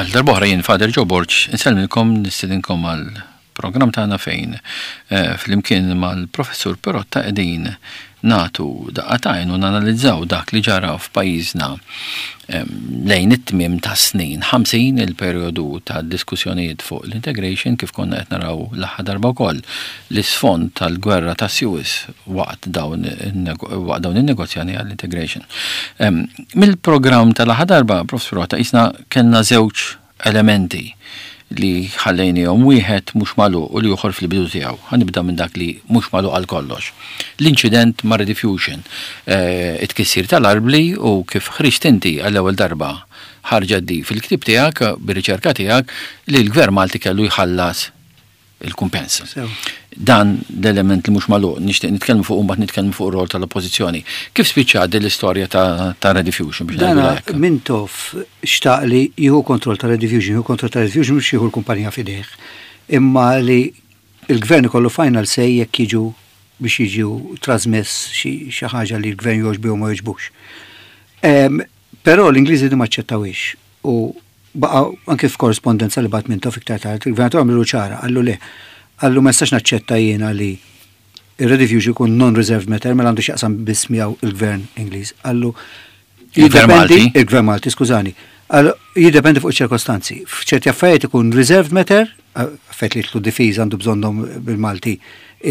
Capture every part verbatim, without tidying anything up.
Għal darb'oħra jien Father Joe Borg insellmilkom, nistedinkom għal programm tagħna fejn eh, flimkien mal-Professur Perotta qegħdin nagħtu daqqa t'għajn u nanalizzaw dak li ġara f'pajjiżna lejn it-tmiem ta' snin ħamsin, il-perjodu ta' diskussjonijiet fuq l-integration, kif konna qed naraw l-aħħar darba wkoll l-isfond tal-gwerra ta' Suez waqt dawn waqt dawn in-negozjani għall-integration. Mill-programm tal-aħħar darba, Professur Perotta, jisna kellna żewġ elementi li ħallejnihom, wieħed mhux magħluq u l-ieħor fil-bidu tiegħu. Ħa nibda minn dak li mhux magħluq għal kollox. L-inċident ma' Rediffusion, eh, it-tkissir tal-arbli u kif ħriġt inti għall-ewwel darba ħarġet di fil-ktib tiegħek, bir-riċerka tiegħek, li l-Gvern Malti kellu jħallas il-kumpens. Dan l-element li mhux magħluq nixtieq nitkellmu fuq, mbagħad nitkellmu fuq ir-rol tal-oppożizzjoni. Kif spiċċat din l-istorja ta', ta Rediffusion biex Dana Mintoff xtaq li jieħu kontroll ta' Rediffusion, jieħu kontroll ta' Rediffusion mhux jieħu l-kumpanija f'idejh. Imma li il-gvern ikollu final say jekk jiġu biex jiġu trasmess xi ħaġa li l-gvern jogħġbu u ma jogħġbux. Però l-Ingliżi di ma aċċettawhiex u baqa anke f'korrespondenza li bagħat Mintoff iktar tard, il-gvernatur għamlu ċara, qallu le, qallu ma nistax naċċetta jiena li il-Rediffusion jkun non-reserved matter, mela għandu x'jaqsam biss miegħu il-gvern Ingliż. Qallu Il-Gvern Malti? Il-Gvern Malti, skużani. Qallu jiddependi fuq ċirkostanzi. F'ċerti affarijiet ikun reserved matter, affarijiet li jidħlu difiża għandu bżonnhom bil-Malti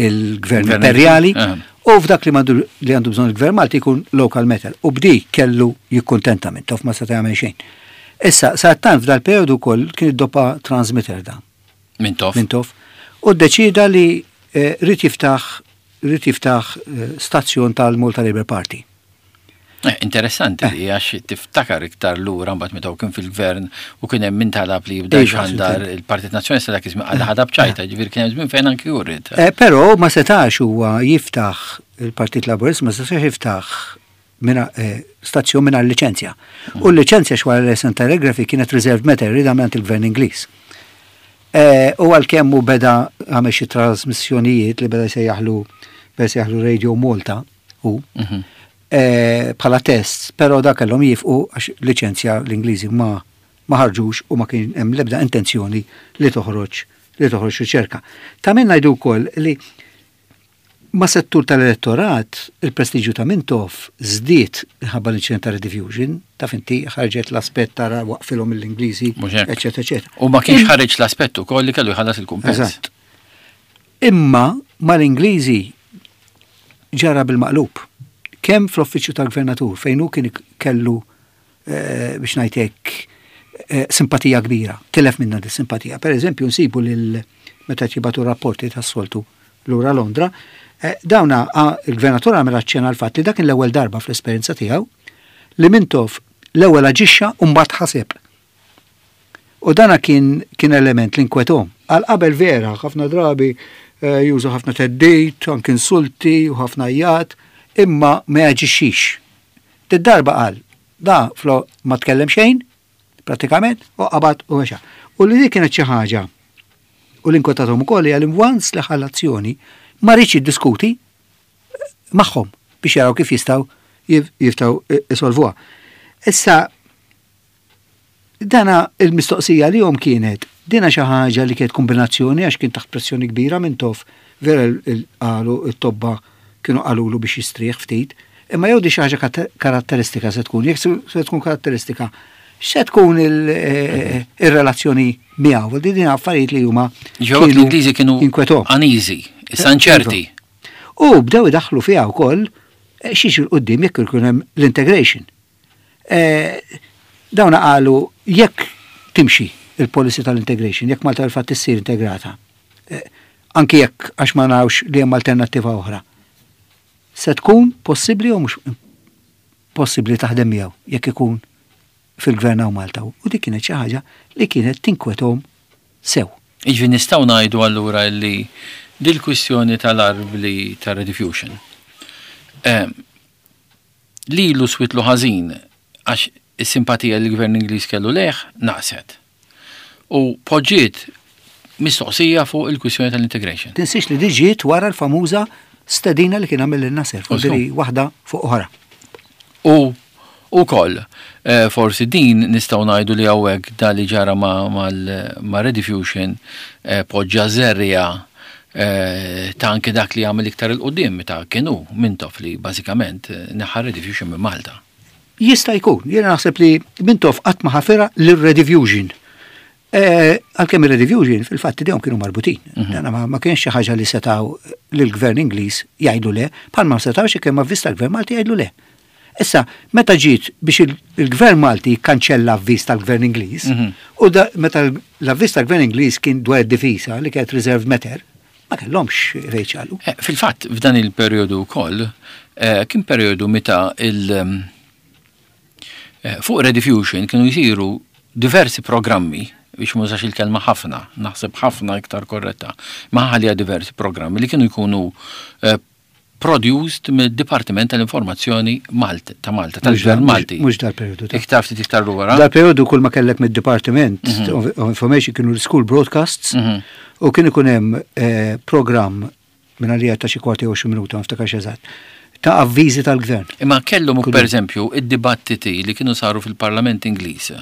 il-Gvern Imperjali, u f'dak li li għandu bżonn il-Gvern Malti jkun local matter. U b'di kellu jikkuntenta Mintoff, ma seta' jagħmel xejn. Issa, sadanittant f'dal periodu wkoll kien id-dopa transmitter da. Mintoff. Mintoff. U ddeċida li eh, ried jiftaħ ried jiftaħ eh, stazzjon tal-Malta Labour Party. Eh, interessanti li għax tiftakar iktar lura mbagħad meta kien fil-gvern u kien hemm min talab li jibda Iva, xandar il-Partit Nazzjonalista, dak iż-żmien għal ħadab ċajta, ġifieri kien hemm żmien fejn anki jurid. Eh, Però ma setax huwa jiftaħ il-Partit Laburist, ma setax jiftaħ minna, eh, stazzjon minna l-licenzja. U l-licenzja xwara l Telegraphy kienet reserved matter rieda minn il-gvern Ingliż. Eh, U għalkemm hu beda għamel xi trasmissjonijiet li beda jsejjaħlu beda jsejjaħlu Radio Malta u Mhm. eh, bħala test, però da kellhom jifqu għax liċenzja l-Ingliżi ma ma ħarġux u ma kien hemm l-ebda intenzjoni li toħroġ li toħroġ riċerka. Ta' min ngħidu wkoll li ma' settur tal-elettorat il-prestiġju ta' Mintoff żdied minħabba l-inċident ta' Rediffusion, taf inti ħarġet l-aspett tara waqfilhom l-Ingliżi, Mhux hekk. eċetera, eċetera. U ma kienx ħareġ l-aspett ukoll li kellu jħallas il-kumpens. Eżatt. Imma mal-Ingliżi ġara bil-maqlub. Kemm fl-uffiċċju tal-gvernatur fejn hu kien kellu eh, biex ngħidlek eh, simpatija kbira, tilef minna di simpatija. Per eżempju, nsibu lil meta jibagħtu rapporti tas-soltu lura Londra, eh, dawna ah, il-gvernatur għamel aċċenna għal fatt li dak l-ewwel darba fl-esperjenza tiegħu li Mintoff l-ewwel aġixxa u mbagħad ħaseb. U dana kien, kien element li nkwetahom. Għal qabel vera, ħafna drabi eh, jużu ħafna theddid, anke insulti u ħafna jgħat, imma ma jaġixxix. Did-darba qal, da flo ma tkellem xejn, pratikament, u qabad u mexa. U li dik kienet xi ħaġa u l-inkwetatom ukoll hija li once li ħa l-azzjoni ma riedx jiddiskuti magħhom biex jaraw kif jistgħu jistgħu isolvuha. Issa dana il-mistoqsija li jom kienet dina xi ħaġa li kienet kombinazzjoni għax kien taħt pressjoni kbira Mintoff, vera qalu it-tobba kienu qalulu biex jistrieħ ftit, imma jew di xi ħaġa karatteristika se tkun, jekk se tkun karatteristika, se tkun eh, il-relazzjoni miegħu, di din affarijiet li huma Ġew l-Ingliżi kienu inkwetahom. uneasy, issa inċerti. U bdew idaħlu fiha wkoll eh, xiex il-qoddim jekk ikun hemm l-integration. Eh, Dawna qalu jekk timxi il-policy tal-integration, jekk Malta fil-fatt issir integrata, eh, anki jekk għax ma narawx li hemm alternattiva oħra. Se tkun possibbli u mhux possibbli taħdem miegħu jekk ikun fil-gvern hawn Malta. U dik kienet xi ħaġa li kienet tinkwetahom sew. Iġvi nistgħu ngħidu allura li dil-kwistjoni tal-arbli ta' Rediffusion eh, lilu switlu ħażin għax is-simpatija li l-gvern Ingliż kellu lejh naqset. U poġġiet mistoqsija fuq il-kwistjoni tal-integration. Tinsiex li diġiet wara l-famuża stedina li kien għamel lil Nasser, U diri waħda fuq oħra. U Ukoll, eh, forsi din nistgħu ngħidu li hawnhekk da li ġara ma', ma Rediffusion eh, poġġa żerriegħa eh, ta' anke dak li għamel iktar 'il quddiem meta kienu Mintoff li bażikament neħħa Rediffusion minn Malta. Jista' jkun, jiena naħseb li Mintoff qatt ma ħafirha lir-Rediffusion. Għalkemm ir-Rediffusion fil-fatt idejhom kienu marbutin. Mhm. Dana ma kienx xi ħaġa li setaw lill-gvern Ingliż jgħidu le, bħalma setgħux kemm avviż tal-gvern Malti jgħidu le. Issa, meta ġiet biex il-gvern Malti kanċella avviż tal-gvern Ingliż, mhm. u meta l-avviż tal-gvern Ingliż kien dwar id-difisa li kienet reserved matter, ma kellhomx fejn eh, Fil-fatt, f'dan il-perjodu wkoll, eh, kien perjodu meta il- eh, fuq Rediffusion kienu jisiru diversi programmi biex mużax il-kelma ħafna, naħseb ħafna iktar korretta, ma ħalija diversi programmi li kienu jkunu produced mid-Dipartiment tal-Informazzjoni Malta, ta' Malta, tal-Gvern Malti. Mhux dal-periodu. Iktar ftit iktar lura. Dal-periodu kull ma kellek mid-Departiment mhm. of Information kienu l-school broadcasts mhm. u kien ikun hemm eh, program minn għalija ta' xi kwarti u minuta, ma niftakarx eżatt ta' avviżi tal-gvern. Imma kellhom per eżempju id-dibattiti li kienu saru fil-Parlament Ingliż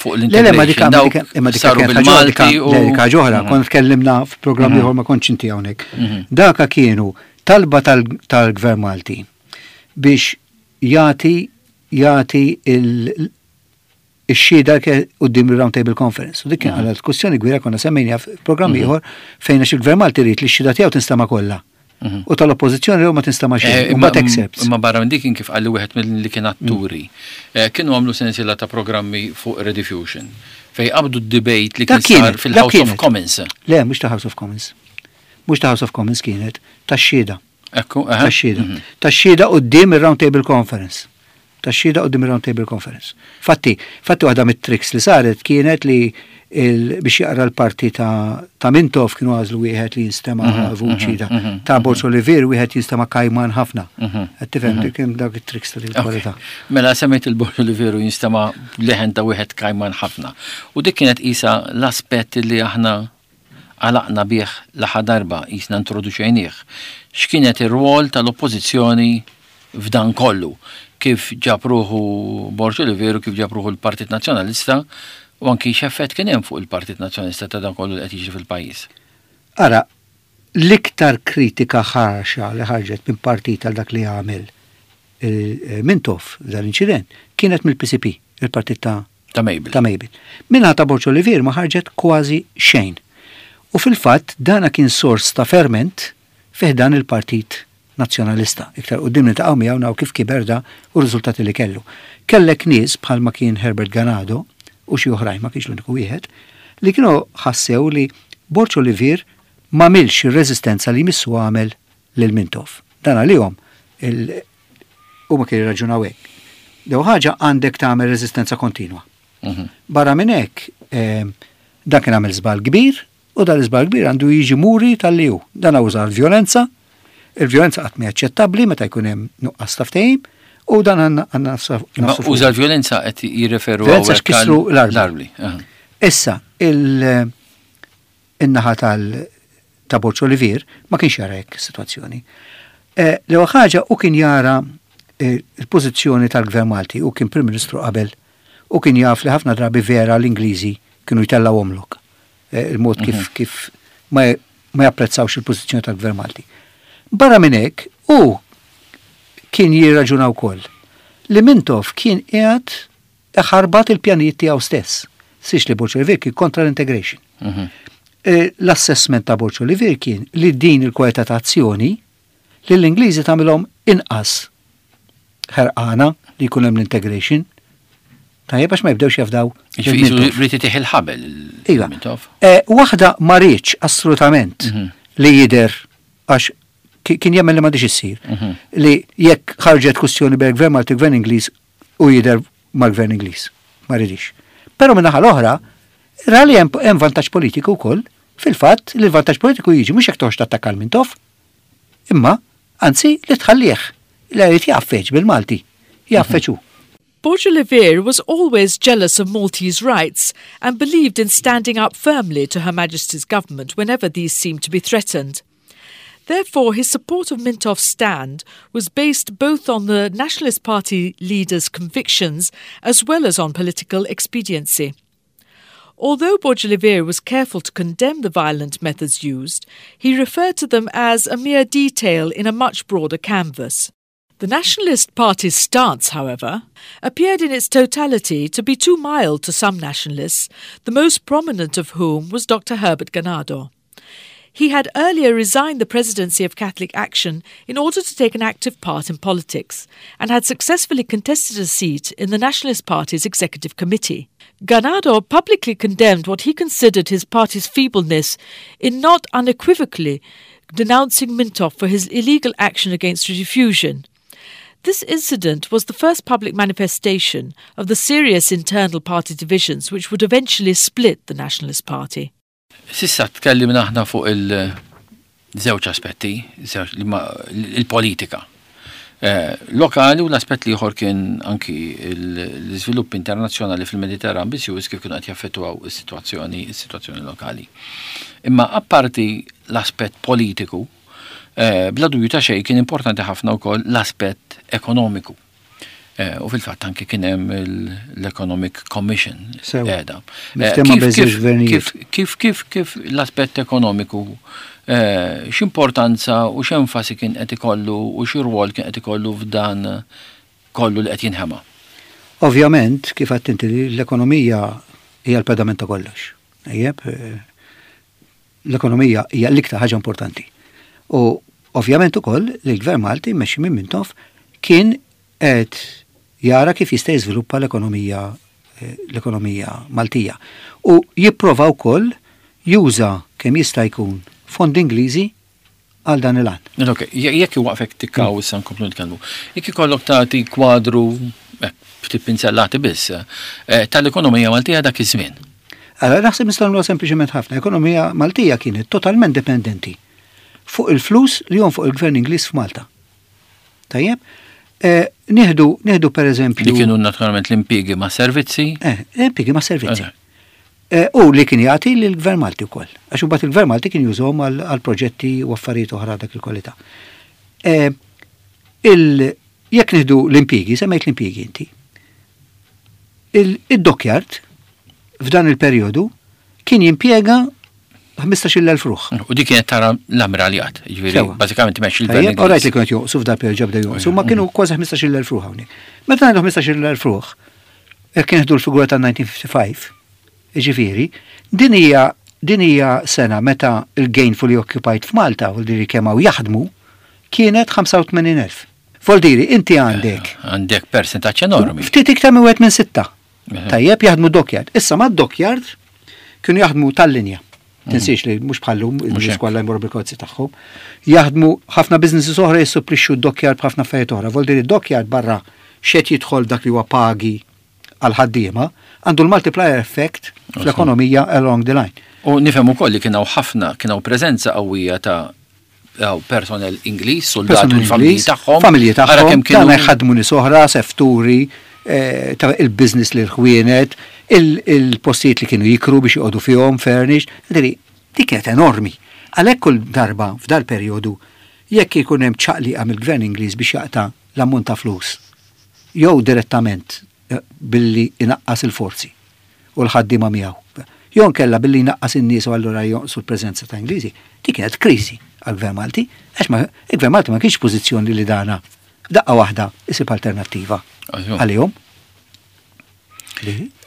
fuq l-integration. Le, ma dik saru bil-Malti u. Dik oħra, mhm. kont tkellimna f'programmi ieħor ma kontx inti hawnhekk. Daka kienu talba tal-gvern Malti biex jagħti jagħti il-xhieda quddiem il-Round Table Conference. U dik kien għal diskussjoni kbira konna semmejna f'programm mhm. ieħor fejn għax il-gvern Malti jrid li x-xhieda tiegħu tinstema' kollha. Mhm. U tal-oppożizzjoni ma tinstema' xejn. Eh, Mbagħad excerpts. Imma barra minn dik kif qalli wieħed mill-li kien atturi. Eh, kienu għamlu sensiela ta' programmi fuq Rediffusion fej qabdu d-debate li kien sar fil-House of Commons. Le, mhux ta' House of Commons. Mhux ta' House of Commons kienet, ta' xhieda. Ekku, Ta' xhieda. Mhm. Ta' xhieda quddiem ir-Round Table Conference. Ta' xhieda quddiem ir-Round Table Conference. Fatti, fatti waħda mit-tricks li saret kienet li biex jaqra l-parti ta', ta' Mintoff kienu għażlu wieħed li jinstema' mhm, vuċi ta' mhm, ta' Borg Olivier wieħed jinstema' kajman ħafna. Qed tifhem kien dak it-tricks ta' dik kwalità. Mela semmejt il-Borg Olivier jinstema' leħen ta' wieħed kajman ħafna. U dik kienet isa l-aspett li aħna għalaqna bih l-aħħar darba jisna introduċejnieh. X'kienet ir-rwol tal-oppożizzjoni f'dan kollu? Kif ġab ruħu Borg Olivier u kif ġab ruħu l-Partit Nazzjonalista u anki x'effett kien hemm fuq il-Partit Nazzjonalista ta' dan kollu li qed jiġri fil-pajjiż. Ara, l-iktar kritika ħarxa li ħarġet minn partit għal dak li għamel Mintoff dal-inċident kienet mill-PCP, il-partit ta' ta' Mabel. Ta' Mabel. Minna ta' Borg Olivier ma ħarġet kważi xejn. U fil-fatt dana kien sors ta' ferment fih dan il-Partit Nazzjonalista. Iktar quddiem niltaqgħu miegħu naw kif kiber da u r-riżultati li kellu. Kellek nies bħalma kien Herbert Ganado u xi oħrajn ma kienx l-uniku wieħed li kienu ħassew li Borg Olivier m'għamilx ir-reżistenza li missu għamel lil Mintoff. Dan għalihom huma kienu jirraġunaw hekk. Dew ħaġa għandek tagħmel reżistenza kontinwa. Mhm. Barra minn hekk, eh, dan kien għamel żball kbir u dan l-iżball kbir għandu jiġi muri tal-li hu. Dan uża l-vjolenza, il-vjolenza qatt mhi aċċettabbli meta jkun hemm nuqqas ta' ftehim, u dan għandna għandna Uża l-vjolenza qed jirreferu Vjolenza x'kissru l-arbli. Issa, il-naħa tal ta' Borg Olivier ma kienx jara hekk situazzjoni. Eh, l-ewwel ħaġa u kien jara eh, il-pożizzjoni tal-Gvern Malti u kien Prim Ministru qabel u kien jaf li ħafna drabi vera l-Ingliżi kienu jtellaw omlok. Eh, il-mod kif mhm. kif ma, ma japprezzawx il-pożizzjoni tal-Gvern Malti. Barra minn hekk, u kien jirraġuna wkoll li Mintoff kien qiegħed ħarbat il-pjanijiet tiegħu stess. Six li Borg Olivier kien kontra l-integration. Mhm. Eh, l-assessment ta' Borg Olivier kien li din il-kwalità ta' azzjoni li l-Ingliżi tagħmilhom inqas ħerqana li jkun hemm l-integration. Tajjeb għax ma jibdewx jafdaw. Rrid itih il-ħabel. Iva. Eh, waħda ma riedx assolutament mhm. li jidher għax kien jemmen li m'għandix issir. Mhm. Li jekk ħarġet kwistjoni bejn gvern Malti gvern Ingliż u jidher mal-gvern Ingliż. Ma ridix. Però min-naħa l-oħra, ra li hemm vantaġġ politiku wkoll fil-fatt li l-vantaġġ politiku jiġi mhux jekk toħroġ tattakka Mintoff, imma anzi li tħallih li jrid jgħaffeġ bil-Malti. Jgħaffeġ hu. Borg Olivier was always jealous of Maltese rights and believed in standing up firmly to Her Majesty's government whenever these seemed to be threatened. Therefore, his support of Mintoff's stand was based both on the Nationalist Party leader's convictions as well as on political expediency. Although Borg Olivier was careful to condemn the violent methods used, he referred to them as a mere detail in a much broader canvas. The Nationalist Party's stance, however, appeared in its totality to be too mild to some nationalists, the most prominent of whom was Doctor Herbert Ganado. He had earlier resigned the presidency of Catholic Action in order to take an active part in politics and had successfully contested a seat in the Nationalist Party's executive committee. Ganado publicly condemned what he considered his party's feebleness in not unequivocally denouncing Mintoff for his illegal action against rediffusion. This incident was the first public manifestation of the serious internal party divisions which would eventually split the Nationalist Party. S'issa tkellimna aħna fuq il-żewġ aspetti, il-politika. Eh, lokali u l-aspett l-ieħor kien anki l-iżvilupp internazzjonali fil-Mediterran biss kif kienu qed jaffettwaw is-sitwazzjoni is-sitwazzjoni lokali. Imma apparti l-aspett politiku, eh, bla dubju ta' xejn kien importanti ħafna wkoll l-aspett ekonomiku. Eh, u fil-fatt anki kien hemm l-Economic Commission qiegħda. Kif kif kif kif l-aspett ekonomiku eh, x'importanza u x'enfasi kien qed ikollu u xi rwol kien qed ikollu f'dan kollu li qed jinħema? Ovvjament, kif għedt inti, l-ekonomija hija l-pedament ta' kollox. Ejjeb, eh, l-ekonomija hija l-iktar ħaġa importanti. U ovvjament ukoll li l-Gvern Malti mmexxi minn Mintoff kien qed jara kif jista' jiżviluppa l-ekonomija eh, l-ekonomija Maltija. U jipprova wkoll juża kemm jista' jkun fondi Ingliżi għal dan il-għan. Ok, jekk waqfek tikkaw issa nkomplu nitkellmu. Jekk ikollok tagħti kwadru eh, ftit pinzellati biss eh, tal-ekonomija Maltija dak iż-żmien. Allora, naħseb nistgħu nagħmlu sempliċement ħafna. Ekonomija Maltija kienet totalment dipendenti fuq il-flus li fuq il-Gvern Ingliż f'Malta. Tajjeb? Eh, nieħdu, nieħdu per eżempju. Li kienu naturalment l-impjiegi ma' servizzi? Eh, l-impjiegi ma' servizzi. Eh, u li kien jagħti lill-Gvern Malti wkoll. Għax imbagħad il-Gvern Malti kien jużhom għal proġetti u affarijiet oħra dak il-kwalità. Eh, jekk nieħdu l-impjiegi, semmejt l-impjiegi inti. Il-dockyard f'dan il-perjodu kien jimpjega ħmistax-il elf ruħ. U dik kienet tara l-ammiraljat, ġifieri bażikament imexxi l-gvern. Orajt li kienet jonqsu f'dal perjodu, ġabda jonqsu, ma kienu kważi ħmistax-il elf ruħ hawnhekk. Meta ngħidu ħmistax-il elf ruħ, jekk nieħdu l-figura ta' elf disa' mija u ħamsa u ħamsin, ġifieri, din hija din hija sena meta il-gainfully occupied f'Malta, u diri kemm hawn jaħdmu, kienet ħamsa u tmenin elf. Voldiri, inti għandek. Għandek percentaġġ enormi. Ftit iktar minn wieħed minn sitta. Tajjeb, jaħdmu dockyard. Issa ma' dockyard kienu jaħdmu tal-linja. Tinsiex li mhux bħallum, il-nies kollha jmorru bil-karozzi tagħhom. Jaħdmu ħafna businesses oħra jissupplixxu d-dockyard b'ħafna affarijiet oħra. Voldiri d-dockyard barra xed jidħol dak li huwa pagi għal ħaddiema, għandu l-multiplier effect fl-ekonomija along the line. U nifhem ukoll li kien hawn ħafna, kien hawn preżenza qawwija ta' personnel Ingliż, soldati u l-familji tagħhom. Familji tagħhom, kienu jħadmu nies oħra, sefturi, eh, ta' il-business li l-ħwienet, il-postijiet li kienu jikru biex joqogħdu fihom furnished, dik kienet enormi. Għalhekk kull darba f'dal perjodu jekk ikun hemm ċaqliqa mill-Gvern Ingliż biex jaqta' l-ammont ta' flus, jew direttament eh, billi inaqqas il-forzi u l-ħaddiema miegħu, jew kella billi jnaqqas in-nies u allura jonqsu l-preżenza ta' Ingliżi, dik kienet kriżi għall-Gvern Malti, għax ma il-Gvern Malti ma kienx pożizzjoni li dana daqqa waħda isib alternattiva għalihom.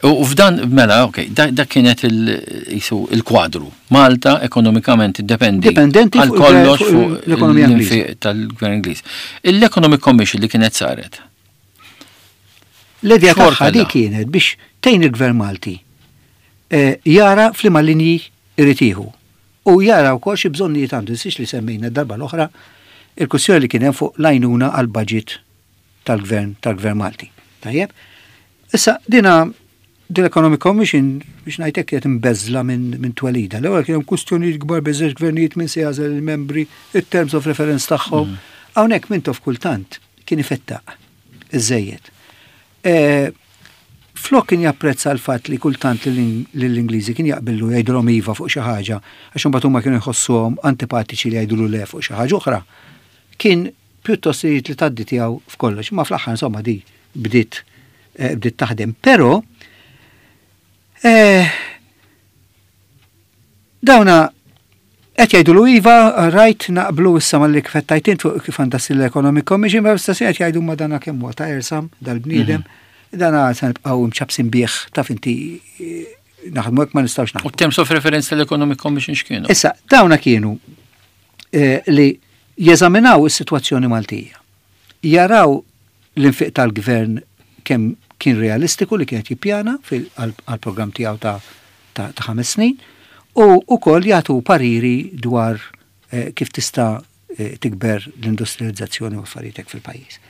U f'dan, mela, ok, dak kienet il-kwadru. Malta ekonomikament dependi. Dipendenti għal kollox fuq l-ekonomija Ingliż tal-Gvern Ingliż. L-Economic Commission li kienet saret. L-idea tagħha di kienet biex tgħin il-Gvern Malti eh, jara f'liema linji irid jieħu. U jara wkoll xi bżonnijiet għandu, six li semmejna darba l-oħra il-kwistjoni li kien hemm fuq l-għajnuna għal budget tal-Gvern tal-Gvern Malti. Tajjeb? Issa, dina din l-Economic Commission, biex ngħidlek, kienet imbeżla minn min twelida. L-ewwel kien hemm kwistjonijiet kbar bejn gvernijiet min se jagħżel il-membri, it-terms of reference tagħhom. Mm. Hawnhekk Mintoff kultant kien ifettaq iżejjed. E, Flok kien japprezza l-fatt li kultant lill-Ingliżi kien jaqbillu jgħidulhom iva fuq xi ħaġa, għax imbagħad huma kienu jħossuhom antipatiċi li jgħidulu le fuq xi ħaġa oħra. Kien pjuttost irid li tgħaddi tiegħu f'kollox, imma fl-aħħar insomma di bdiet eh, bdiet taħdem. Però eh, dawna qed jgħidulu iva, rajt naqblu issa malli kif qed fuq kif għandha ssir l-Economic Commission, ma fl-istess qed jgħidu ma dana kemm huwa ta' ersam dal-bniedem, dana se nibqgħu mċabsin bih taf inti eh, naħdmu hekk ma nistgħux U naħdmu. terms of reference tal-Economic Commission x'kienu? Issa, dawna kienu eh, li jeżaminaw is-sitwazzjoni Maltija. Jaraw l-infiq tal-gvern kemm kien realistiku li kienet jippjana għal-programm tiegħu ta' ta' ta' ħames snin u wkoll jagħtu pariri dwar eh, kif tista' eh, tikber l-industrializzazzjoni u affarijiet hekk fil-pajjiż.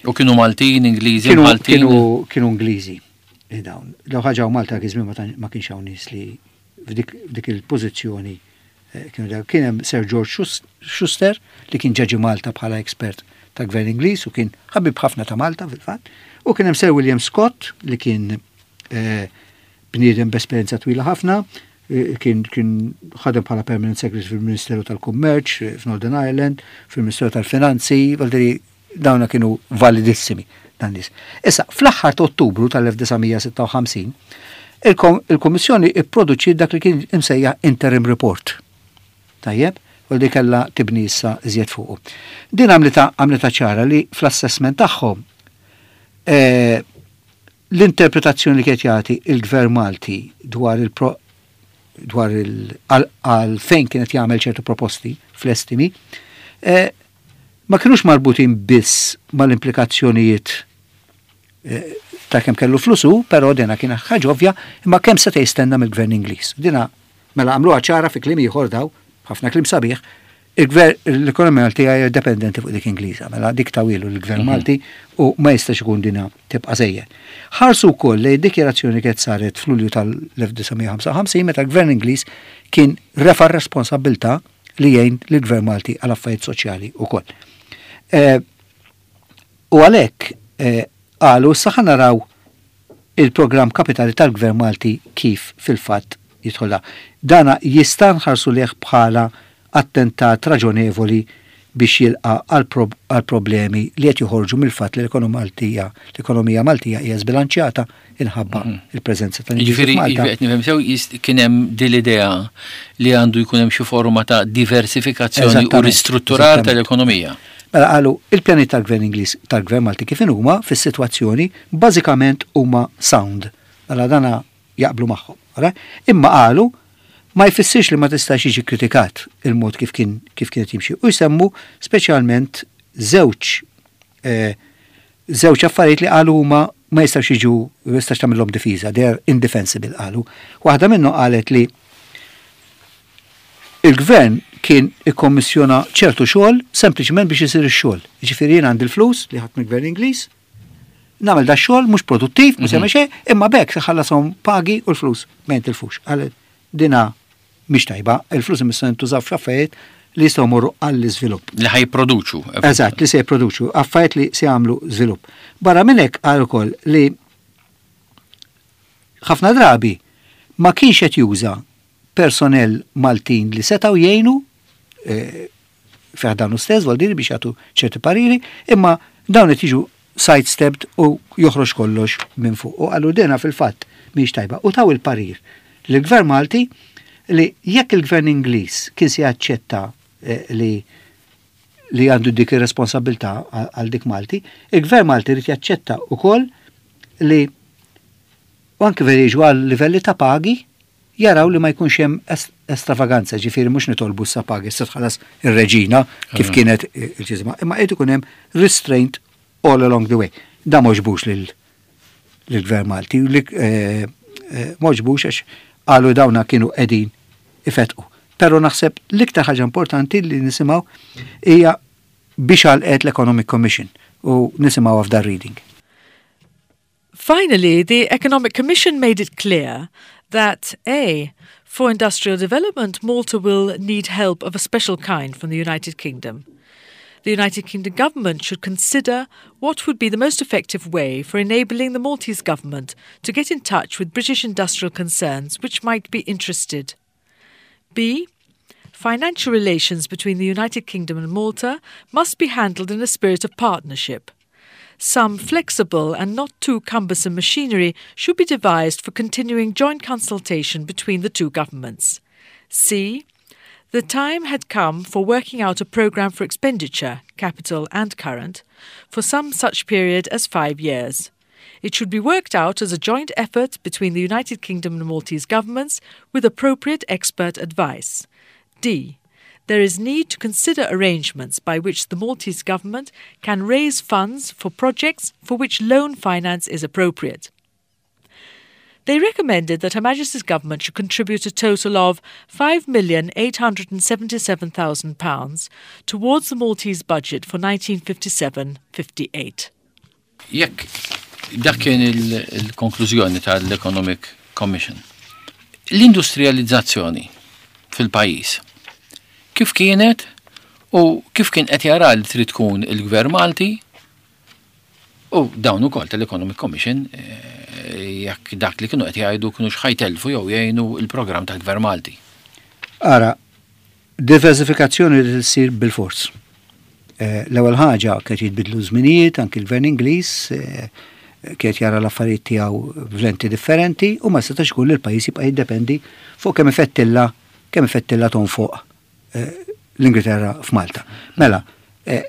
U kienu Maltin, Ingliżi, Kienu, Maltin. kienu, kienu Ingliżi eh, dawn. Law ħaġa u Malta kien ma tan- ma kienx hawn nies li f'dik f'dik il-pożizzjoni eh, kienu daw. Kien hemm Sir George Schus- Schuster li kien ġie Malta bħala expert ta' gvern Ingliż u kien ħabib ħafna ta' Malta fil-fatt. U kien hemm Sir William Scott li kien eh, bniedem b'esperjenza twila ħafna, eh, kien kien ħadem bħala permanent secretary fil-Ministeru tal-Kummerċ eh, f'Northern Ireland, fil-Ministeru tal-Finanzi, valdiri dawna kienu validissimi dan nies. Issa, fl-aħħar ta' Ottubru tal-elf disa' mija sitta u ħamsin, il-Kommissjoni ipproduċi dak li kien imsejjaħ interim report. Tajjeb, u li kella tibni issa iżjed fuqu. Din għamlita għamlita ċara li fl-assessment tagħhom eh, l-interpretazzjoni li kienet jagħti il-Gvern Malti dwar il dwar il għal fejn kienet jagħmel ċertu proposti fl-estimi, eh, ma kienux marbutin biss mal-implikazzjonijiet eh, ta' kemm kellu flusu, però dina kien ħaġa ovvja, imma kemm seta' jistenna mill-Gvern Ingliż. Dina mela għamluha ċara fi kliem ieħor daw, ħafna kliem sabiħ, il-gvern l-ekonomija Maltija hija dependenti fuq dik Ingliża, mela dik tawilu l-Gvern mhm. Malti u ma jistax ikun dina tibqa' sejjer. Ħarsu wkoll li dikjarazzjoni kienet saret f'Lulju tal-elf disa' mija ħamsa u ħamsin meta l-Gvern Ingliż kien refa' responsabbiltà li jgħin lill-Gvern Malti għal affarijiet soċjali wkoll. Eh, u għalhekk eh, qalu issa naraw il-programm kapitali tal-Gvern Malti kif fil-fatt jidħolla. Dana jista' nħarsu lejh bħala attentat raġonevoli biex jilqa għal problemi li qed joħorġu mill-fatt li l-ekonomija Maltija, l-ekonomija Maltija hija żbilanċjata inħabba mhm. il-preżenza ta' Ġifieri qed nifhem sew, kien hemm din l-idea li għandu jkun hemm xi forma ta' diversifikazzjoni u ristrutturar tal-ekonomija. Mela qalu il-pjani tal-Gvern Ingliż, tal-Gvern Malti kif huma fis-sitwazzjoni bażikament huma sound. Mela dana jaqblu magħhom. Imma qalu ma jfissirx li ma tistax jiġi kritikat il-mod kif kien kif kienet jimxi. U jsemmu speċjalment żewġ eh, żewġ affarijiet li qalu huma ma jistax jiġu jistax tagħmilhom difiża, they are indefensible qalu. Waħda minnhom qalet li il-gvern kien ikkommissjona ċertu xogħol sempliċement biex isir ix-xogħol. Jiġifieri jien għandi l-flus li ħadd mill-gvern Ingliż, nagħmel da xogħol mhux produttiv, mhux mm xejn, imma bekk ħallasom pagi u l-flus ma jintilfux. Qalet dina mhix tajba, il-flus imissa jintużaw f'affarijiet li jistgħu morru għall-iżvilupp. Li ħa jipproduċu. Eżatt, li se jipproduċu, affarijiet li se jagħmlu żvilupp. Barra minn hekk qal ukoll li ħafna drabi ma kienx qed juża personnel Maltin li setgħu jgħinu eh, fi ħdanu stess, vuol biex jagħtu ċerti pariri, imma dawn qed jiġu sidestepped u joħroġ kollox minn fuq. U qalu dena fil-fatt mhix tajba. U taw il-parir l-Gvern Malti li jekk il-Gvern Ingliż kien se jaċċetta eh, li li għandu dik ir-responsabilità għal dik Malti, il-Gvern Malti rrid jaċċetta ukoll li u anke veri jiġu għal livelli ta' pagi jaraw li ma jkunx hemm estravaganza, ġifieri mhux nitolbu sa pagi se tħallas ir-reġina kif kienet il-ġizma, imma qed ikun hemm restraint all along the way. Da m'għoġbux lill-Gvern Malti, li eh, eh, m'għoġbux għax qalu dawna kienu qegħdin ifetqu. Pero naħseb l-iktar ħaġa importanti li nisimgħu hija biex għalqet l-Economic Commission u nisimgħu f'dar reading. Finally, the Economic Commission made it clear that A, for industrial development, Malta will need help of a special kind from the United Kingdom. The United Kingdom government should consider what would be the most effective way for enabling the Maltese government to get in touch with British industrial concerns which might be interested. B. Financial relations between the United Kingdom and Malta must be handled in a spirit of partnership. Some flexible and not too cumbersome machinery should be devised for continuing joint consultation between the two governments. C. The time had come for working out a programme for expenditure, capital and current, for some such period as five years. It should be worked out as a joint effort between the United Kingdom and Maltese governments with appropriate expert advice. D. There is need to consider arrangements by which the Maltese government can raise funds for projects for which loan finance is appropriate. They recommended that Her Majesty's government should contribute a total of five million eight hundred and seventy-seven thousand pounds towards the Maltese budget for nineteen fifty-seven fifty-eight. Jekk dak kien il-konklużjoni tal-Economic Commission. L-industrializzazzjoni fil-pajjiż kif kienet u kif kien qed jara li trid tkun il-Gvern Malti u dawn ukoll tal-Economic Commission, eh, jekk dak li kienu qed jgħidu kienu ħa jtellfu jew jgħinu il-programm tal-Gvern Malti. Ara, diversifikazzjoni li tsir bil-fors. Eh, l-ewwel ħaġa kienet jitbidlu żminijiet, anki l-Gvern Ingliż, eh, kienet jara l-affarijiet tiegħu f'lenti differenti u ma setax ikun li l-pajjiż jibqa' jiddependi fuq kemm ifettilla, kemm ifettilla tonfoq, eh, l-Ingilterra f'Malta. Mela, eh,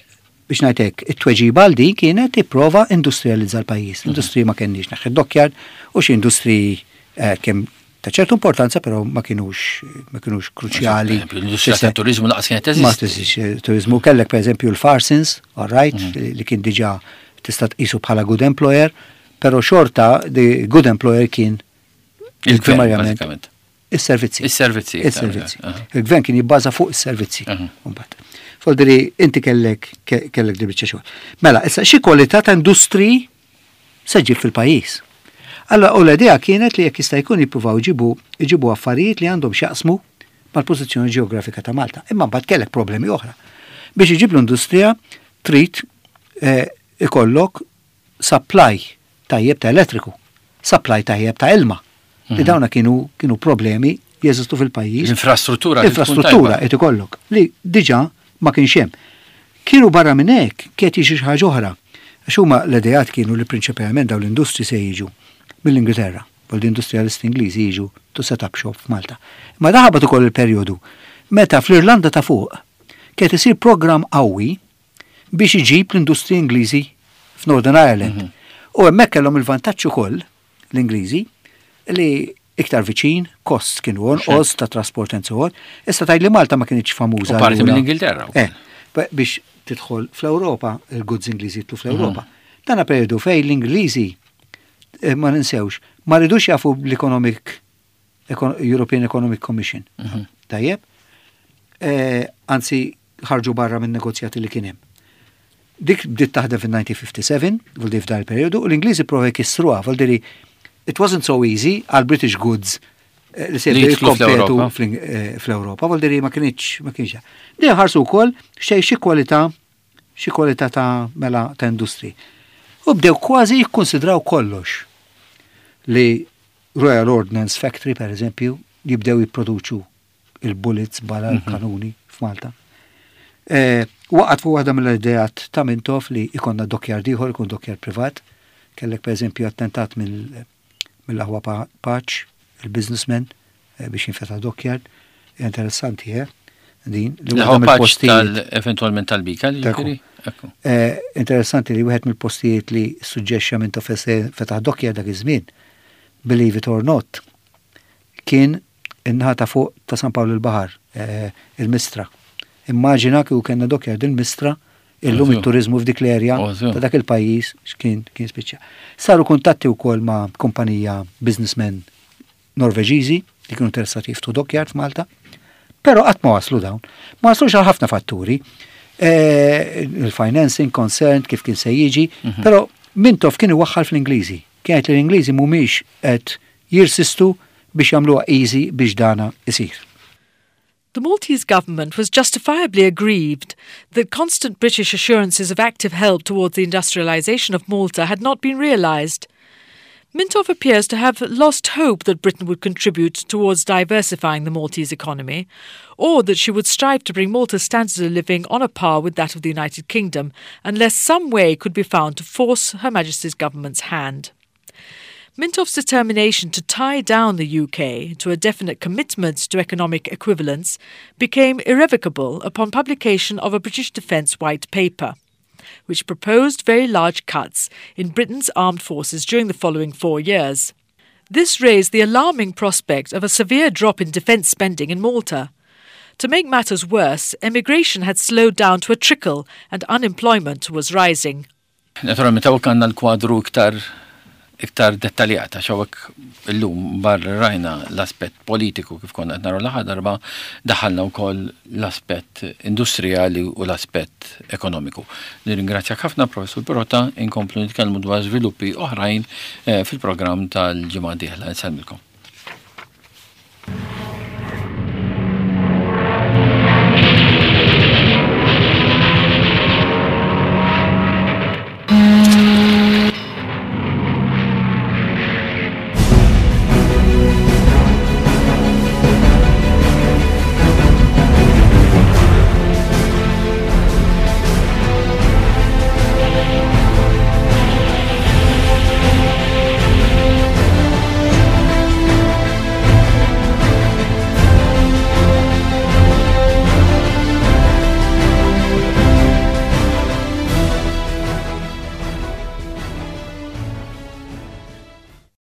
biex ngħidlek, it-tweġiba għal din kienet tipprova industrializza l-pajjiż. L-industriji ma kenniex, neħħi dockyard u xi industriji, eh, kemm ta' ċertu importanza, però ma kienux, ma kienux kruċjali. L-industrija ta' turizmu lanqas kienet Ma teżisti. teżistix, turizmu kellek per eżempju l-Farsons, all right, Mhm. li kien diġà tista' tqisu bħala good employer, però xorta the good employer kien Il-gvern, primarjament bażikament. is-servizzi. Is-servizzi, Is-servizzi. aha. Il-gvern kien jibbaża fuq is-servizzi. Aha. Mbagħad. Voldiri, inti kellek, ke-, kellek di biċċa xogħol. Mela, issa xi kwalità ta' industri se ġib fil-pajjiż. Allora, u l-idea kienet li jekk jista' jkun jippruvaw jġibu, jġibu affarijiet li għandhom x'jaqsmu mal-pożizzjoni ġeografika ta' Malta. Imma mbagħad kellek problemi oħra. Biex iġib l-industrija trid, eh, ikollok supply tajjeb ta' elettriku, supply tajjeb ta' ilma. Li Mhm. dawna kienu, kienu problemi jeżistu fil-pajjiż. L-infrastruttura li tkun L-infrastruttura tajba. qed ikollok li diġà ma kienx hemm. Kienu barra minn hekk kienet jiġi xi ħaġa oħra. Għax huma l-ideat kienu li prinċipalment dawn l-industri se jiġu mill-Ingilterra, u l-industrialisti Ingliżi jiġu to set up shop f'Malta. Ma daħabat ukoll il-perjodu meta fl-Irlanda ta' fuq kienet isir programm qawwi biex iġib l-industri Ingliżi f'Northern Ireland. Mhm. U hemmhekk kellhom il-vantaġġ ukoll l-Ingliżi li iktar viċin, kost kienu onqos ta' trasport and so on. Issa tgħid li Malta ma kienx famuża. U parti allura. mill-Ingilterra wkoll. Eh, ba-, biex tidħol fl-Ewropa, il-goods Ingliżi jidħlu fl-Ewropa. Mhm. Dana periodu fej l-Ingliżi, eh, ma ninsewx, ma ridux jafu l-Economic, Econ-, European Economic Commission. Mhm. Tajjeb? Eh, anzi, ħarġu barra minn negozjati li kien hemm. Dik bdiet taħdem fin-nineteen fifty-seven, vuol f'dan il-periodu, u l-Ingliżi prova jkissruha, vuol dire it wasn't so easy għal British goods, eh, li se Li jidħlu jikkompetu fl-Ewropa. fl-Ing-, eh, fl-Ewropa, vuol dire ma kienx, ma kienx. Dejjem ħarsu wkoll xejn xi kwalità, xi kwalità ta' mela ta' industri. U bdew kważi jikkonsidraw kollox li Royal Ordnance Factory, per eżempju, jibdew jipproduċu il-bullets bala Mhm. l-kanuni f'Malta. Eh, waqgħet fuq waħda mill-ideat ta' Mintoff li ikonna dockyard ieħor, ikun dockyard privat. Kellek per eżempju attentat mill-, mill-aħwa Pa-, Pace, il-businessman, eh, biex jinfetaħ dockyard. Interessanti, eh? Din, li L-aħwa waħda Pace mill-postijiet tal-, eventualment tal-Bika, li Ekku. ġifieri? Ekku. Eh, interessanti li wieħed mill-postijiet li suġġexxa Mintoff fetaħ dockyard dak iż-żmien, believe it or not, kien in-naħa ta' fuq ta' San Pawl il-Baħar, eh, il-Mistra. Immaġina kieku kellna dockyard il-Mistra, illum Ovvju. it-turizmu f'dik l-erja Ovvju. ta' dak il-pajjiż x'kien kien spiċċa. Saru kuntatti wkoll ma' kumpanija businessmen Norveġiżi li kienu interessati jiftħu dockyard f'Malta, però qatt ma waslu dawn. Ma waslux għal ħafna fatturi. Eh, il-financing concerned kif kien se jiġi, Mhm. però Mintoff kien iwaħħal fl-Ingliżi. Kienet li l-Ingliżi mhumiex qed jirsistu biex jagħmluha easy biex dana isir. The Maltese government was justifiably aggrieved that constant British assurances of active help towards the industrialisation of Malta had not been realised. Mintoff appears to have lost hope that Britain would contribute towards diversifying the Maltese economy, or that she would strive to bring Malta's standard of living on a par with that of the United Kingdom, unless some way could be found to force Her Majesty's government's hand. Mintoff's determination to tie down the U K to a definite commitment to economic equivalence became irrevocable upon publication of a British Defence White Paper, which proposed very large cuts in Britain's armed forces during the following four years. This raised the alarming prospect of a severe drop in defence spending in Malta. To make matters worse, emigration had slowed down to a trickle and unemployment was rising. Naturalment, hawnhekk għandna l-kwadru iktar iktar dettaljata, hawnhekk illum barra rajna l-aspett politiku kif konna qed naraw l-aħħar darba, daħalna wkoll l-aspett industrijali u l-aspett ekonomiku. Nirringrazzjak ħafna, Professur Pirotta, inkomplu nitkellmu dwar żviluppi oħrajn eh, fil-programm tal-ġimgħa dieħla. Nsellmilkom.